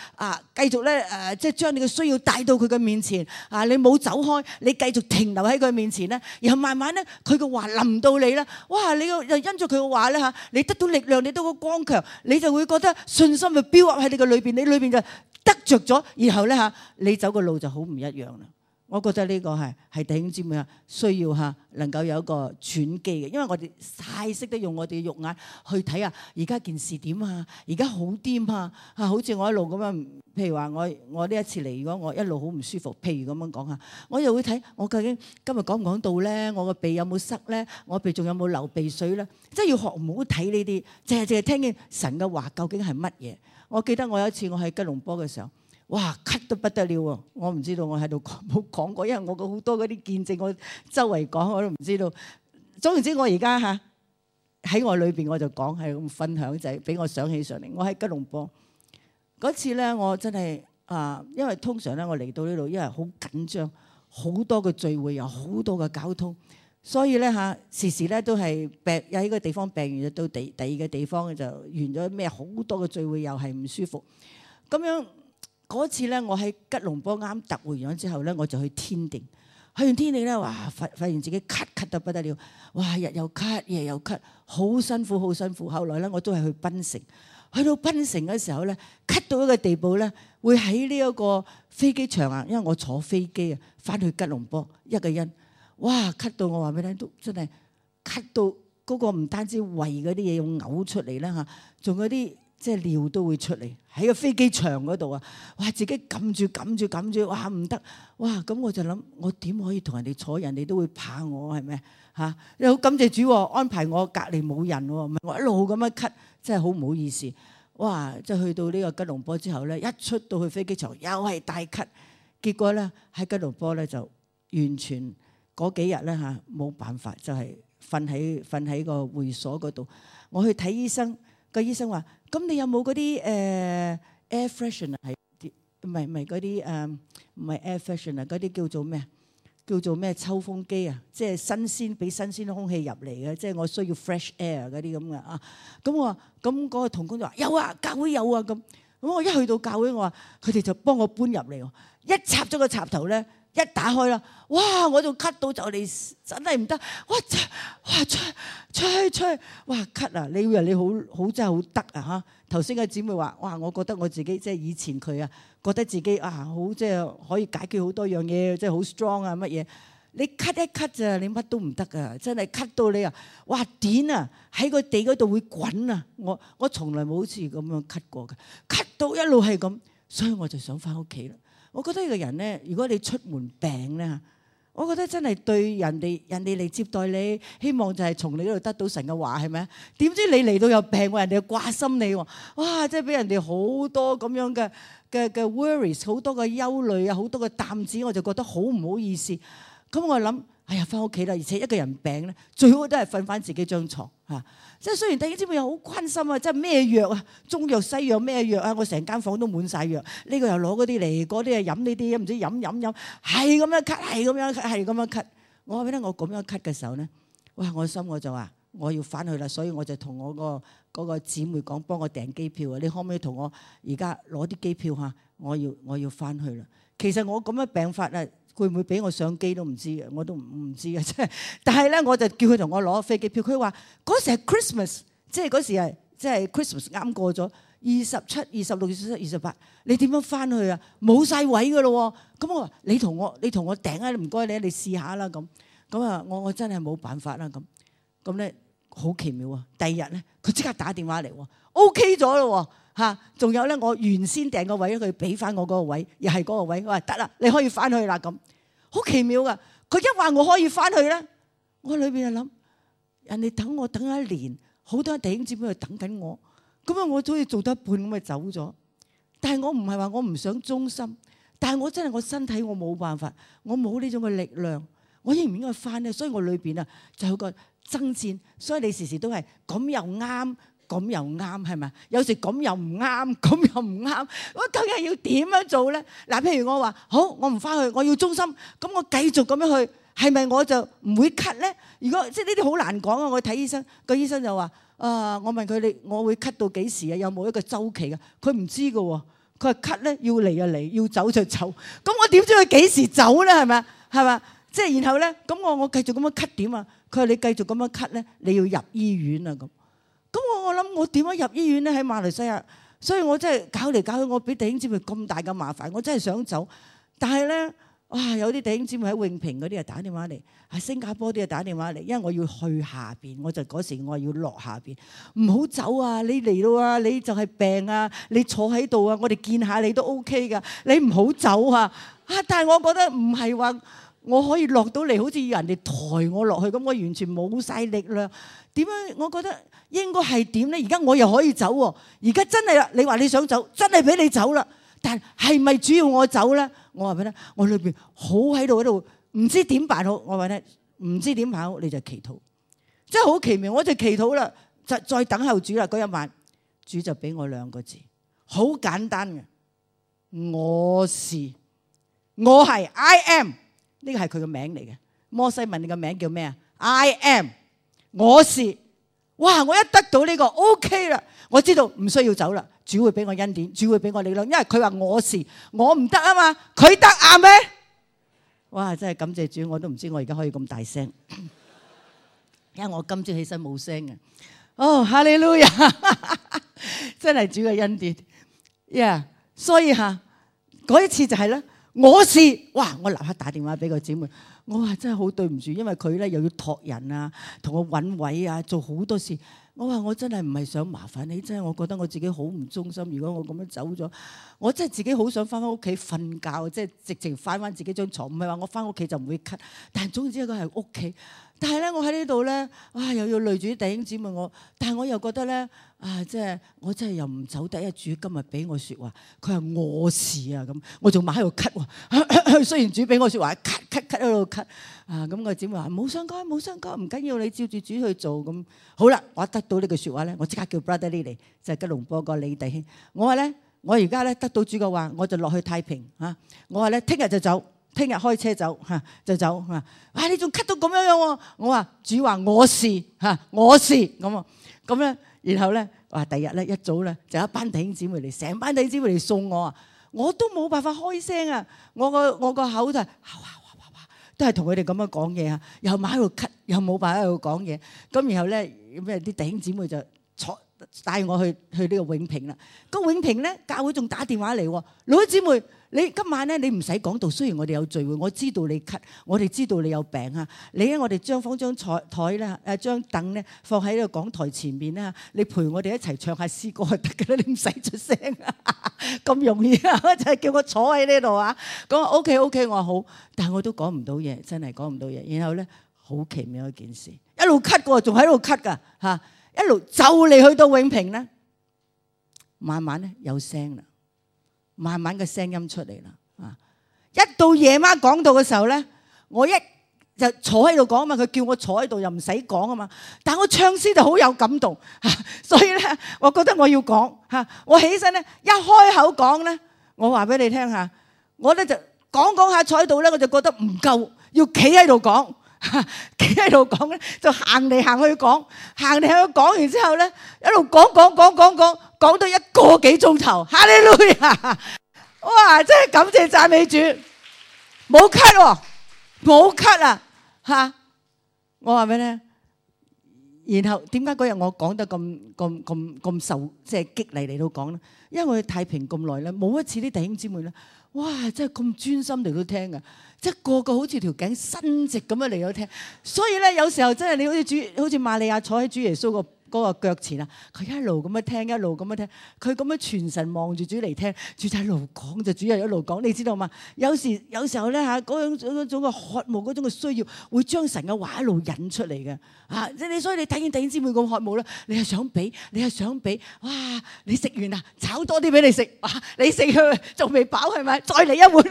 繼續咧即係將你嘅需要帶到佢嘅面前你冇走開，你繼續停留喺佢面前咧，然後慢慢咧佢嘅話臨到你啦，哇！你又因住佢嘅話咧你得到力量，你得到光強，你就會覺得信心就飆喺你嘅裏邊，你裏邊就得着咗，然後咧你走嘅路就好唔一樣啦。我覺得呢個係弟兄姊妹需要能夠有一個轉機嘅，因為我哋太識得用我哋嘅肉眼去睇而家件事點而家好癲好似我一路咁樣，譬如話我呢一次嚟，如果我一路好唔舒服，譬如咁樣講我又會睇我究竟今日講唔講到咧，我個鼻有冇塞咧，我鼻仲有冇流鼻水咧，即係要學唔好睇呢啲，淨係聽見神嘅話究竟係乜嘢。我記得我有一次我喺吉隆坡嘅時候，哇，咳得不得了喎！我唔知道我喺度冇講過，因為我好多嗰啲見證，我周圍講我都唔知道。總言之，我而家喺我裏邊我就講係咁分享，就係俾我想起上嚟。我喺吉隆坡嗰次咧，我真係因為通常咧我嚟到呢度，因為好緊張，好多嘅聚會，有好多嘅交通，所以咧時時咧都係病，有一個地方病完就到第二個地方就完咗咩，好多嘅聚會又係唔舒服咁樣。嗰次咧，我喺吉隆坡啱突回咗之後咧，我就去天定。去完天定咧，哇！發現自己咳得不得了，哇！日又咳，夜又咳，好辛苦，好辛苦。後來咧，我都係去檳城。去到檳城嘅時候咧，咳到一個地步咧，會喺呢一個飛機場因為我坐飛機翻去吉隆坡一個人，哇！咳到我話俾你聽，都真係咳到嗰個唔單止胃嗰啲嘢要嘔出嚟啦仲有啲。即係尿都會出嚟喺個飛機場嗰度哇！自己撳住，哇唔得，哇咁我就諗我點可以同人哋坐，人哋都會怕我係咪又好感謝主安排我隔離冇人唔係我一路咁樣咳，真係好唔好意思。哇！即係去到呢個吉隆坡之後咧，一出到去飛機場又係大咳，結果咧喺吉隆坡咧就完全嗰幾日咧冇辦法，就係瞓喺個會所嗰度。我去睇醫生，個醫生話。咁你有冇嗰啲air freshener 係唔係嗰啲唔係 air freshener 嗰啲叫做咩？叫做咩抽風機即係新鮮俾新鮮空氣入嚟嘅，即係我需要 fresh air 嗰啲咁嘅咁我話咁嗰個同工就話有教會有咁。咁我一去到教會，我話佢哋就幫我搬入嚟，一插咗個插頭咧，一打開啦，哇！我就咳到就嚟真係唔得，哇吹，哇咳你以為你好真係好得頭先嘅姊妹話，哇！我覺得我自己即係以前佢覺得自己好即係可以解決好多樣嘢，即係好 strong 乜嘢。你咳一咳咋，你乜都唔得噶，真係咳到你哇點喺個地嗰度會滾我從來冇好似咁樣咳過嘅，咳到一路係咁，所以我就想翻屋企啦。我覺得呢個人咧，如果你出門病咧，我覺得真係對人哋嚟接待你，希望就係從你嗰度得到神嘅話，係咪？點知你嚟到有病，人哋又掛心你，哇！即係俾人哋好多咁樣嘅 worries， 好多嘅憂慮好多嘅擔子，我就覺得好唔好意思。咁我諗，哎呀，翻屋企啦！而且一個人病咧，最好都係瞓翻自己張床即係雖然弟兄姊妹又好關心即係咩藥中藥西藥咩藥我成間房都滿晒藥，呢個又攞嗰啲嚟，嗰啲又飲呢啲，唔知飲，係咁樣咳，係咁樣咳。我話俾你聽，我咁樣咳嘅時候咧，哇！我心我就話我要翻去啦，所以我就同我嗰個姊妹講，幫我訂機票你可唔可以同我而家攞啲機票我要翻去啦。其實我咁樣病法會唔會俾我上機都唔知嘅，我都唔知嘅，即係。但係咧，我就叫佢同我攞飛機票。佢話嗰時係 Christmas，即係嗰時係即係 Christmas 啱過咗27、26、27、28，你點樣翻去冇晒位噶咯喎！咁我話你同我訂唔該你試下啦咁。咁我真係冇辦法啦咁咧，好奇妙啊！第二日咧，佢即刻打電話嚟，OK 咗咯嚇。仲有咧，我原先訂個位，佢俾翻我嗰個位，又係嗰個位。佢話得啦，你可以翻去啦咁，好奇妙噶。佢一話我可以翻去咧，我裏邊就諗，人哋等我等一年，好多弟兄姊妹喺度等緊我，咁啊我好似做得一半咁就走咗。但係我唔係話我唔想忠心，但係我真係我身體我冇辦法，我冇呢種嘅力量，我應唔應該翻咧？所以我裏邊啊就有個爭戰，所以你時時都係咁又啱，咁又啱，係咪？有時咁又唔啱，咁又唔啱，我究竟要點樣做咧？嗱，譬如我話好，我唔翻去，我要忠心，咁我繼續咁樣去，係咪我就唔會咳咧？如果即係呢啲好難講啊！我睇醫生，個醫生就話。我問佢你，我會咳到幾時啊？有冇一個週期啊？佢唔知㗎喎，佢話咳咧要嚟就嚟，要走就走。咁我點知佢幾時走咧？係咪？係嘛？即係然後咧，咁我繼續咁樣咳點啊？佢話你繼續咁樣咳咧，你要入醫院啊咁。咁我諗我點樣入醫院咧？喺馬來西亞，所以我真係搞嚟搞去，我俾弟兄姊妹咁大嘅麻煩，我真係想走，但係咧。哇！有啲弟兄姊妹喺永平嗰啲啊打電話嚟，喺新加坡啲啊打電話嚟，因為我要去下邊，我就嗰時我要落下邊，唔好走啊！你嚟到啊，你就係病啊，你坐喺度啊，我哋見下你都 OK 噶，你唔好走啊！但係我覺得唔係話我可以落到嚟，好似要人哋抬我落去咁，我完全冇晒力量。點樣？我覺得應該係點咧？而家我又可以走喎，而家真係啦！你話你想走，真係俾你走啦。但係咪主要我走咧？我話俾你聽，我裏邊好喺度，唔知點辦好。我話你聽，唔知點辦好，你就祈禱，真係好奇妙。我就祈禱啦，就再等候主啦。嗰一晚，主就俾我兩個字，好簡單嘅，我是，我係 I am， 呢個係佢個名嚟嘅。摩西問你個名叫咩啊 ？I am， 我是。哇！我一得到呢個 OK 啦，我知道唔需要走啦。主會俾我恩典，主會俾我力量，因為佢話我是，我唔得啊嘛，佢得啊咩？哇！真係感謝主，我都唔知我而家可以咁大聲，因為我今朝起身冇聲嘅。哦，哈利路亞，真係主嘅恩典。呀，所以嗰一次就係咧，我是，哇！我立刻打電話俾個姊妹。我話真係好對唔住，因為佢咧又要託人啊，同我揾位啊，做好多事。我話我真係唔係想麻煩你，真係我覺得我自己好唔忠心。如果我咁樣走咗，我真係自己好想翻屋企瞓覺，即係直情翻自己張床。唔係話我翻屋企就唔會咳，但係總之一個係屋企。但係咧，我喺呢度咧，又要累住啲弟兄姊妹我，但係我又覺得咧，即係我真係又唔走得。一主今日俾我説話，佢話我是啊咁，我仲埋喺度咳喎。雖然主俾我説話，咳喺度咳咁個姊妹話冇相干，冇相干，唔緊要，你照住主去做咁。好啦，我得到呢句説話咧，我即刻叫 Brother Lee 嚟，就係吉隆坡個李弟兄。我話咧，我而家咧得到主嘅話，我就落去太平嚇。我話咧，聽日就走。聽日開車走就走你仲咳到咁樣喎？我話主話我是我是咁咧，然後咧話第日咧一早咧就一班弟兄姊妹嚟，成班弟兄姊妹嚟送我啊！我都冇辦法開聲啊！我個口就都係同佢哋咁樣講嘢啊，又埋喺度咳，又冇辦法喺度講嘢。咁然後咧咩啲弟兄姊妹就帶我去呢個永平啦。個永平咧教會仲打電話嚟喎，老姊妹。你今晚咧，你唔使講道。雖然我哋有聚會，我知道你咳，我哋知道你有病啊。你咧，我哋將張台咧，張凳咧放喺呢個講台前面啦。你陪我哋一齊唱下詩歌就得㗎啦，你唔使出聲啊，咁容易啊！就係叫我坐喺呢度啊。講 OK， 我話好，但係我都講唔到嘢，真係講唔到嘢。然後咧，好奇妙一件事，一路咳過，仲喺度咳㗎嚇，一路就嚟去到永平咧，慢慢咧有聲啦。慢慢嘅聲音出嚟啦，一到夜晚講道嘅時候咧，我一就坐喺度講啊嘛，佢叫我坐喺度又唔使講啊嘛，但我唱詩就好有感動，所以咧，我覺得我要講我起身咧一開口講咧，我話俾你聽下，我咧就講下坐喺度咧，我就覺得唔夠，要企喺度講，企喺度講咧就行嚟行去講，行嚟行去講完之後咧，一路講到1個幾鐘頭，哈利路亞！哇，真係感謝讚美主，冇咳喎，冇咳啊嚇！我話俾你聽，然後點解嗰日我講得咁受即係激勵嚟到講咧？因為我哋太平咁耐咧，冇一次啲弟兄姊妹咧，哇！真係咁專心嚟到聽嘅，即係個個好似條頸伸直咁樣嚟到聽。所以咧，有時候真係你好似瑪利亞坐喺主耶穌嗰個腳前啊，佢一路咁樣聽，一路咁樣聽，佢咁樣全神望住主嚟聽，主就一路講，就主又一路講，你知道嘛？有時候咧嚇，嗰種嘅渴慕，嗰種嘅需要，會將神嘅話一路引出嚟嘅嚇。所以你睇見弟兄姊妹咁渴慕咧，你係想俾，哇！你食完啦，炒多啲俾你食，哇！你食佢仲未飽係咪？再嚟一碗，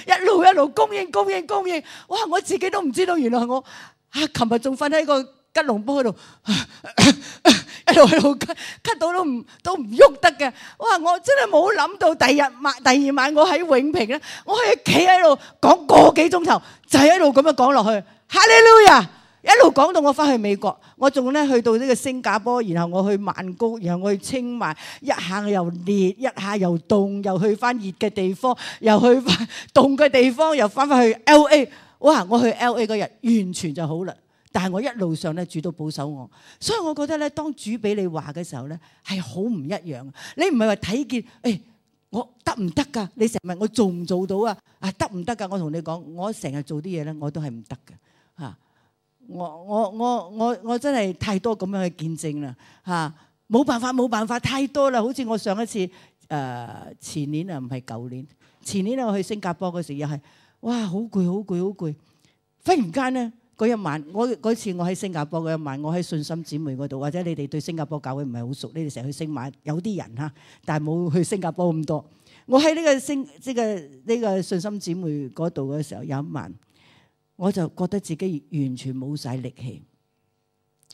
一路供應，哇！我自己都唔知道，原來我琴日仲瞓喺個吉隆坡嗰度，一路咳到都唔喐得嘅。哇！我真係冇諗到第二晚我喺永平咧，我可以企喺度講個幾鐘頭，就係一路咁樣講落去。哈利路亞！一路講到我翻去美國，我仲咧去到呢個新加坡，然後我去曼谷，然後我去清邁，一下又熱，一下又凍，又去翻熱嘅地方，又去翻凍嘅地方，又翻去 LA。哇！我去 LA 嗰日完全就好啦。但係我一路上咧，主都保守我，所以我覺得咧，當主俾你話嘅時候咧，係好唔一樣。你唔係話睇見，我得唔得㗎？你成日問我做唔做到啊？得唔得㗎？我同你講，我成日做啲嘢咧，我都係唔得嘅嚇。我真係太多咁樣嘅見證啦嚇，冇辦法，太多啦。好似我上一次前年啊，唔係舊年，前年我去新加坡嗰時又係，哇！好攰，忽然間咧。嗰一晚，嗰次我喺新加坡嗰一晚，我喺信心姊妹嗰度，或者你哋對新加坡教會唔係好熟，你哋成日去星馬，有啲人嚇，但係冇去新加坡咁多。我喺呢個信心姊妹嗰度嘅時候，有一晚，我就覺得自己完全冇晒力氣。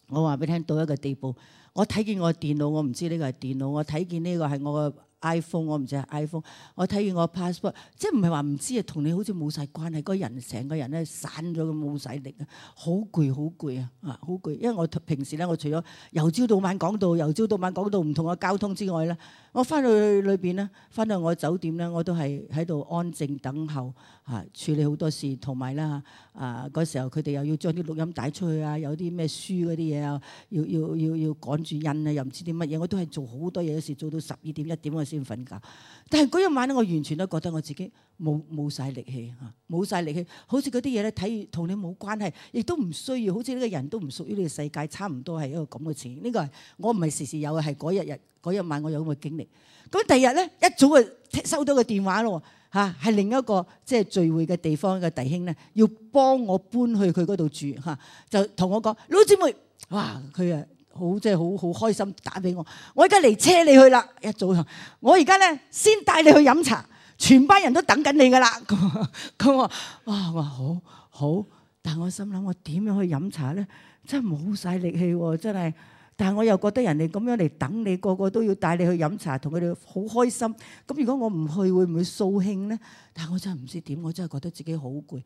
我話俾你聽，到一個地步，我睇見我電腦，我唔知呢個係電腦，我睇見呢個係我嘅iPhone， 我唔知係 iPhone， 我睇見我 passport， 即係唔係話唔知啊，同你好似冇晒關係，個人成個人咧散咗咁冇晒力啊，好攰啊，好攰！因為我平時咧，我除咗由朝到晚講到唔同嘅交通之外咧，我翻去裏邊咧，翻到我酒店咧，我都係喺度安靜等候處理好多事，同埋咧嗰時候佢哋又要將啲錄音帶出去啊，有啲咩書嗰啲嘢啊，要趕住印啊，又唔知啲乜嘢，我都係做好多嘢，有時做到12點1點我先瞓覺。但係嗰一晚咧，我完全都覺得我自己冇晒力氣冇晒力氣，好似嗰啲嘢咧睇同你冇關係，亦都唔需要，好似呢個人都唔屬於呢個世界，差唔多係一個咁嘅情形。呢個係我唔係時時有嘅，係嗰一晚我有咁嘅經歷。咁第二日咧一早就收到個電話咯係另一個即係聚會嘅地方嘅弟兄咧，要幫我搬去佢嗰度住就同我講，老姊妹，哇！佢即係好開心打俾我，我而家嚟車你去啦。一早我而家咧先帶你去飲茶，全班人都等緊你噶啦。咁我話好，但係我心諗我點樣去飲茶咧？真係冇晒力氣喎，真係。但係我又覺得人哋咁樣嚟等你，個個都要帶你去飲茶，同佢哋好開心。咁如果我唔去，會唔會掃興咧？但係我真係唔知點，我真係覺得自己好攰。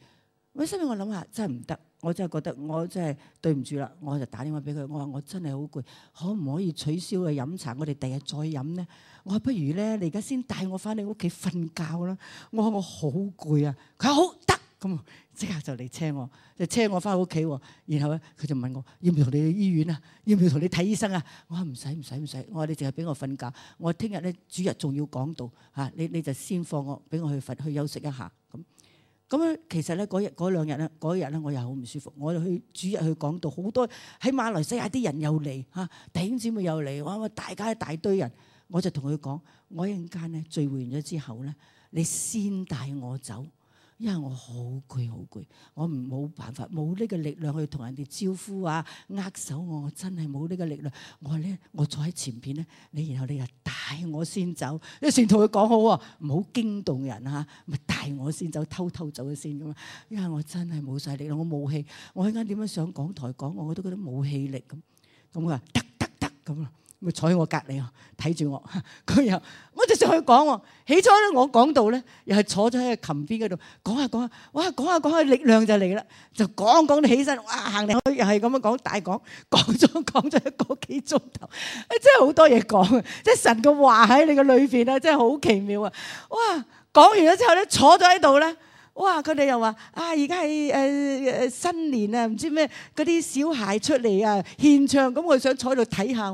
我心裏我諗下，真係唔得，我真係覺得我真係對唔住啦。我就打電話俾佢，我話我真係好攰，可唔可以取消去飲茶？我哋第日再飲咧。我話不如咧，你而家先帶我翻你屋企瞓覺啦。我話我好攰啊。佢話好得，咁即刻就嚟車我，就車我翻屋企。然後咧，佢就問我要唔要同你去醫院啊？要唔要同你睇醫生啊？我話唔使。我話你淨係俾我瞓覺。我話聽日咧主日仲要講道你就先放我，俾我去瞓去休息一下咁樣。其實咧嗰兩日咧，嗰日咧我又好唔舒服。我去主日去講道，好多喺馬來西亞啲人又嚟弟兄姊妹又嚟，哇！大家一大堆人，我就同佢講：我一陣間咧聚會完咗之後咧，你先帶我走。因為我好攰，我冇辦法，冇呢個力量去同人哋招呼握手，我真係冇呢個力量。我坐喺前邊咧，然後你又帶我先走，你先同佢講好喎，唔好驚動人咪帶我先走，偷走咗先咁啊！因為我真係冇晒力量，我冇氣，我一陣間點樣上講台講，我都覺得冇氣力咁。咁佢話得咁啊！咪坐喺我隔離睇住我，佢又我就上去講喎。起初咧，我講到咧，又係坐咗喺個琴邊嗰度講下，哇！講下力量就嚟啦，就講到起身，哇！行嚟去又係咁樣講大講咗一個幾鐘頭，真係好多嘢講，即係神嘅話喺你嘅裏邊啊，真係好奇妙啊！哇！講完咗之後咧，坐咗喺度咧，哇！佢哋又話而家係新年啊，唔知咩嗰啲小孩出嚟啊獻唱，咁我想坐喺度睇下。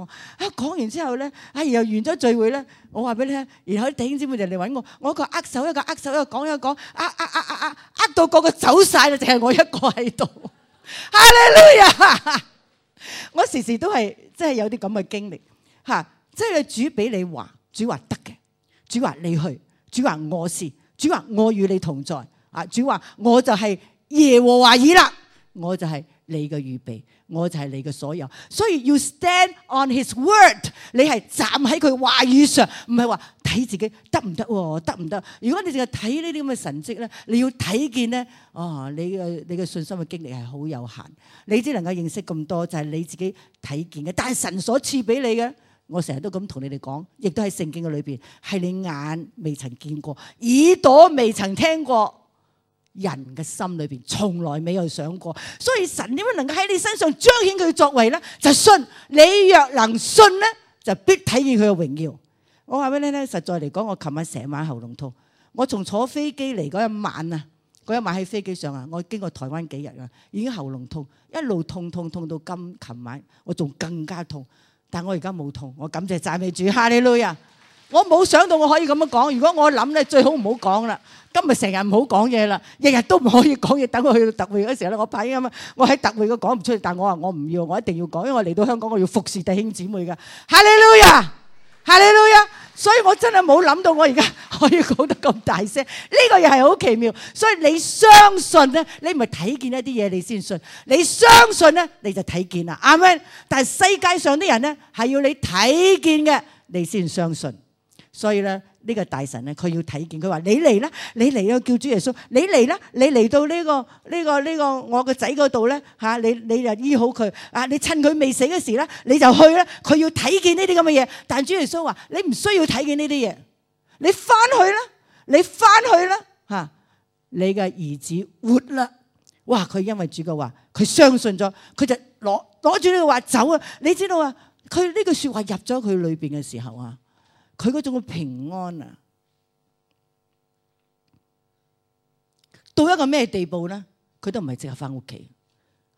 講完之後咧，然後完咗聚會咧，我話俾你聽，然後啲弟兄姊妹就嚟揾我，我一個握手，一個握手，一個講一個講，握到個個走晒啦，淨係我一個喺度。哈利路亞！我時時都係即係有啲咁嘅經歷嚇，即係主俾你話，主話得嘅，主話你去，主話我是，主話我與你同在。主話我就係耶和華以勒，我就係你嘅預備，我就係你嘅所有。所以要 stand on his word， 你係站喺佢話語上，唔係話睇自己得唔得喎？得唔得？如果你淨係睇呢啲咁嘅神蹟咧，你要睇見咧，你嘅信心嘅經歷係好有限，你只能夠認識咁多，就係你自己睇見嘅。但係神所賜俾你嘅，我成日都咁同你哋講，亦都喺聖經嘅裏邊，係你眼未曾見過，耳朵未曾聽過。人嘅心裏邊從來未有想過，所以神點樣能夠喺你身上彰顯佢作為咧？就信，你若能信咧，就必體驗佢嘅榮耀。我話俾你聽，實在嚟講，我琴晚成晚喉嚨痛，我從坐飛機嚟嗰一晚啊，嗰一晚喺飛機上啊，我經過台灣幾日啊，已經喉嚨痛，一路痛到琴晚，我仲更加痛，但我而家冇痛，我感謝讚美主，哈利路亞！我冇想到我可以咁樣講，如果我諗咧，最好唔好講啦。今日成日唔好講嘢啦，日日都唔可以講嘢。等我去到特會嗰時候咧，我怕咁啊，我喺特會我講唔出嚟，但我話我唔要，我一定要講，因為我嚟到香港我要服侍弟兄姊妹㗎。哈利路亞，哈利路亞！所以我真係冇諗到我而家可以講得咁大聲，呢個又係好奇妙。所以你相信咧，你唔係睇見一啲嘢你先信，你相信咧你就睇見啦，啱咪？但係世界上啲人咧係要你睇見嘅，你先相信。所以咧，呢個大臣咧，佢要睇見，佢話：你嚟啦，你嚟啊！叫主耶穌，你嚟啦，你嚟到呢個我個仔嗰度咧嚇，你就醫好佢啊！你趁佢未死嗰時咧，你就去啦。佢要睇見呢啲咁嘅嘢，但主耶穌話：你唔需要睇見呢啲嘢，你翻去啦，你翻去啦嚇，你嘅兒子活啦！哇！佢因為主嘅話，佢相信咗，佢就攞住呢個話走啊！你知道啊？佢呢句説話入咗佢裏邊嘅時候啊！佢嗰種嘅平安啊，到一個咩地步咧？佢都唔係即刻翻屋企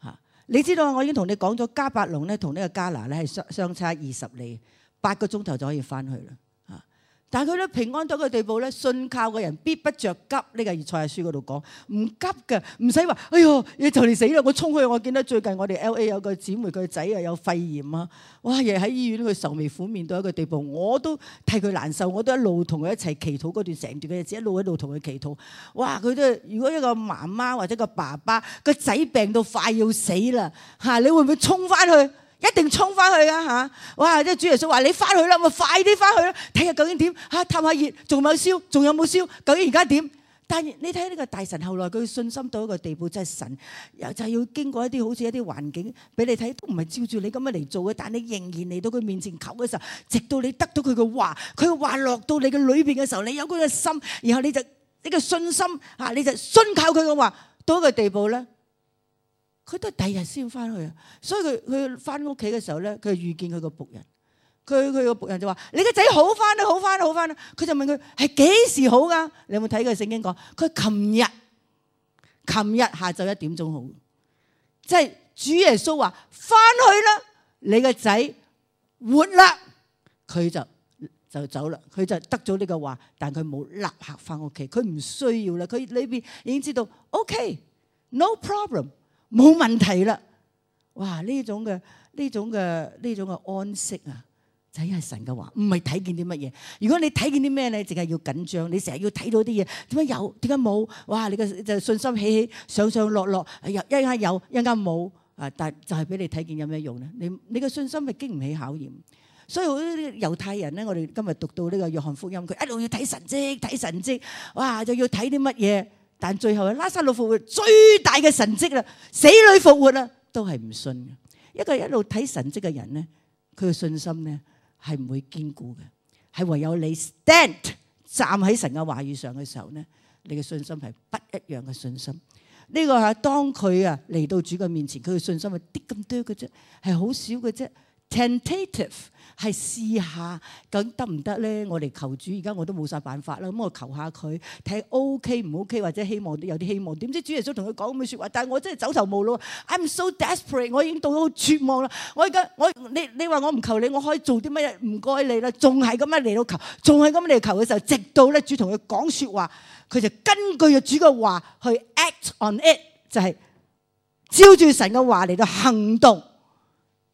嚇。你知道我已經同你講咗，迦百農咧同呢個迦拿咧係相差20里，8個鐘頭就可以翻去啦嚇。但係佢咧平安到一個地步咧，信靠嘅人必不着急。呢個以賽亞書嗰度講，唔急嘅，唔使話，哎呦，你就嚟死啦！我衝去，我見到最近我哋 LA 有個姊妹，佢個仔啊有肺炎啊，哇！日喺醫院佢愁眉苦面到一個地步，我都替佢難受，我都一路同佢一齊祈禱嗰段成段嘅日子，一路同佢祈禱。哇！佢都如果一個媽媽或者個爸爸個仔病到快要死啦嚇，你會唔會衝翻去？一定衝翻去啊嚇！哇！即係主耶穌話你翻去啦，咪快啲翻去啦，睇下究竟點嚇，探下熱，仲有燒，仲有冇燒？究竟而家點？但係你睇呢個大臣後來佢信心到一個地步，真係神又就係要經過一啲好似一啲環境俾你睇，都唔係照住你咁樣嚟做嘅，但你仍然嚟到佢面前求嘅時候，直到你得到佢嘅話，佢嘅話落到你嘅裏邊嘅時候，你有嗰個心，然後你個信心嚇，你就信靠佢嘅話，到一個地步咧。佢都係第二日先翻去啊！所以佢翻屋企嘅時候咧，佢遇見佢個僕人，佢個僕人就話：你個仔好翻啦，好翻啦，好翻啦！佢就問佢係幾時好噶？你有冇睇過聖經講？佢琴日下晝1點鐘好，即係主耶穌話翻去啦，你個仔活啦，佢就走啦，佢就得咗呢個話，但佢冇立刻翻屋企，佢唔需要啦，佢裏邊已經知道 OK，no problem。冇問題啦！哇！呢種嘅安息啊，就係神嘅話，唔係睇見啲乜嘢。如果你睇見啲咩咧，淨係要緊張，你成日要睇到啲嘢，點解有？點解冇？哇！你嘅就信心起起上上落落，一間有，一間冇啊！但就係俾你睇見有咩用咧？你嘅信心係經唔起考驗。所以好多猶太人咧，我哋今日讀到呢個約翰福音，佢一路要睇神蹟，哇！就要睇啲乜嘢？但最後拉撒路復活最大嘅神蹟啦，死裏復活啦，都係唔信嘅。一個一路睇神蹟嘅人咧，佢嘅信心咧係唔會堅固嘅，係唯有你 stand 站喺神嘅話語上嘅時候咧，你嘅信心係不一樣嘅信心。呢個係當佢嚟到主嘅面前，佢嘅信心係啲咁多嘅啫，係好少嘅啫， tentative 係試下究竟得唔得咧？我哋求主，而家我都冇晒辦法啦。咁我求下佢睇 OK 唔 OK，或者希望有啲希望。點知主耶穌同佢講咁嘅説話，但係我真係走投無路。I'm so desperate， 我已經到咗絕望啦。你話我唔求你，我可以做啲乜嘢？唔該你啦，仲係咁樣嚟到求，仲係咁嚟求嘅時候，直到咧主同佢講説話，佢就根據主嘅話去 act on it， 就係照住神嘅話嚟到行動。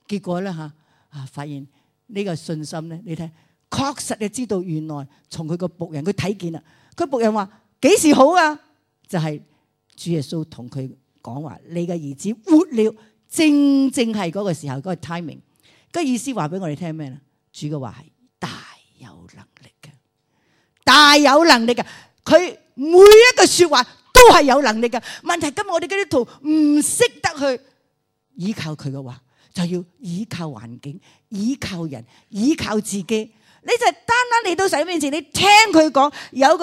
結果咧發現呢個信心咧，你睇確實就知道原來從佢個僕人佢睇見啦。佢僕人話幾時好啊？就係主耶穌同佢講話，你嘅兒子活了，正係嗰個時候，嗰個 timing。個意思話俾我哋聽咩咧？主嘅話係大有能力嘅，大有能力嘅。佢每一個說話都係有能力嘅。問題今日我哋基督徒唔識得去依靠佢嘅話，就要依靠環境、依靠人、依靠自己。你就單單嚟到神面前，你聽佢講，有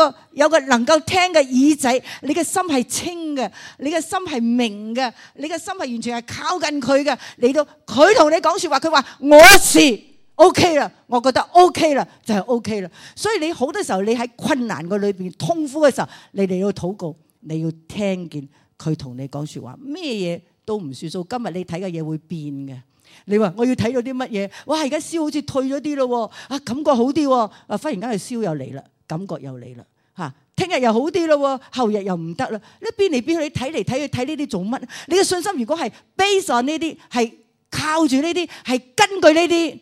個能夠聽嘅耳仔，你嘅心係清嘅，你嘅心係明嘅，你嘅心係完全係靠近佢嘅。嚟到佢同你講說話，佢話我是 OK 啦，我覺得 OK 啦，就係 OK 啦。所以你好多時候，你喺困難嘅裏邊、痛苦嘅時候，你嚟到禱告，你要聽見佢同你講說話，咩嘢都唔算數。今日你睇嘅嘢會變嘅。你話我要睇到啲乜嘢？哇！而家燒好似退咗啲咯，感覺好啲，忽然間佢燒又嚟啦，感覺又嚟啦，聽日又好啲咯，後日又唔得啦。你變嚟變去，你睇嚟睇去睇呢啲做乜？你嘅信心如果係 base on 呢啲，係靠住呢啲，係根據呢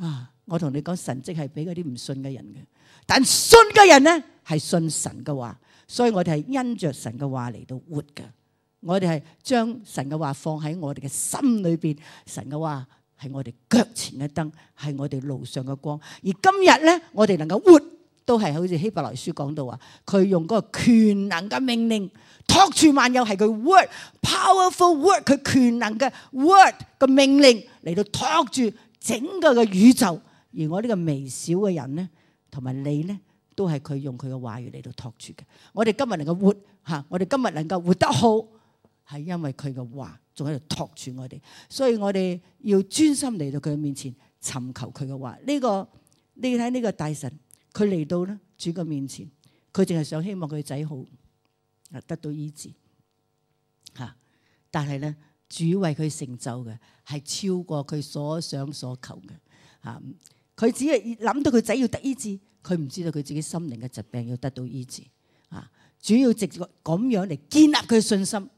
啲，我同你講，神蹟係俾嗰啲唔信嘅人嘅，但信嘅人咧係信神嘅話，所以我哋係因着神嘅話嚟到活嘅。我哋係將神嘅話放喺我哋嘅心裏邊，神嘅話係我哋腳前嘅燈，係我哋路上嘅光。而今日咧，我哋能夠活，都係好似希伯來書講到話，佢用嗰個權能嘅命令托住萬有，係佢 word，powerful word， 佢權能嘅 word 嘅命令嚟到托住整個嘅宇宙。而我呢個微小嘅人咧，同埋你咧，都係佢用佢嘅話語嚟到托住嘅。我哋今日能夠活我哋今日能夠活得好，係因為佢嘅話仲喺度托住我哋，所以我哋要專心嚟到佢嘅面前尋求佢嘅話。你睇呢個大臣，佢嚟到咧主嘅面前，佢淨係想希望佢仔好得到醫治但係咧主為佢成就嘅係超過佢所想所求嘅佢只係諗到佢仔要得醫治，佢唔知道佢自己心靈嘅疾病要得到醫治主要直接咁樣嚟建立佢嘅信心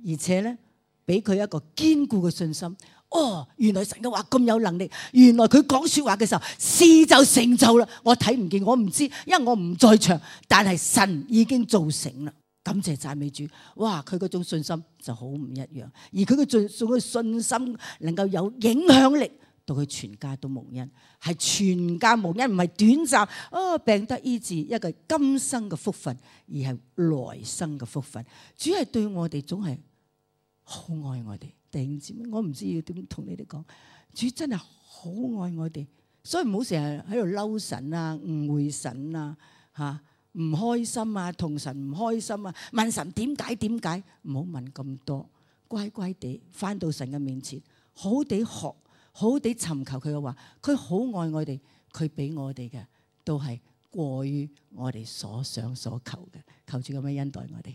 而且咧，俾佢一個堅固嘅信心。原來神嘅話咁有能力，原來佢講說話嘅時候，事就成就啦。我睇唔見，我唔知，因為我唔在場，但係神已經做成啦。感謝讚美主。哇！佢嗰種信心就好唔一樣，而佢嘅信心能夠有影響力，到佢全家都蒙恩，係全家蒙恩，唔係短暫病得醫治一個今生嘅福分，而係來生嘅福分。主係對我哋總係好愛我哋，弟兄姊妹，我唔知要點同你哋講，主真係好愛我哋，所以唔好成日喺度嬲神啊、誤會神啊、唔開心啊、同神唔開心啊，問神點解？唔好問咁多，乖乖地返到神嘅面前，好好地學，好好地尋求佢嘅話，佢好愛我哋，佢俾我哋嘅都係過於我哋所想所求嘅，求主咁樣恩待我哋。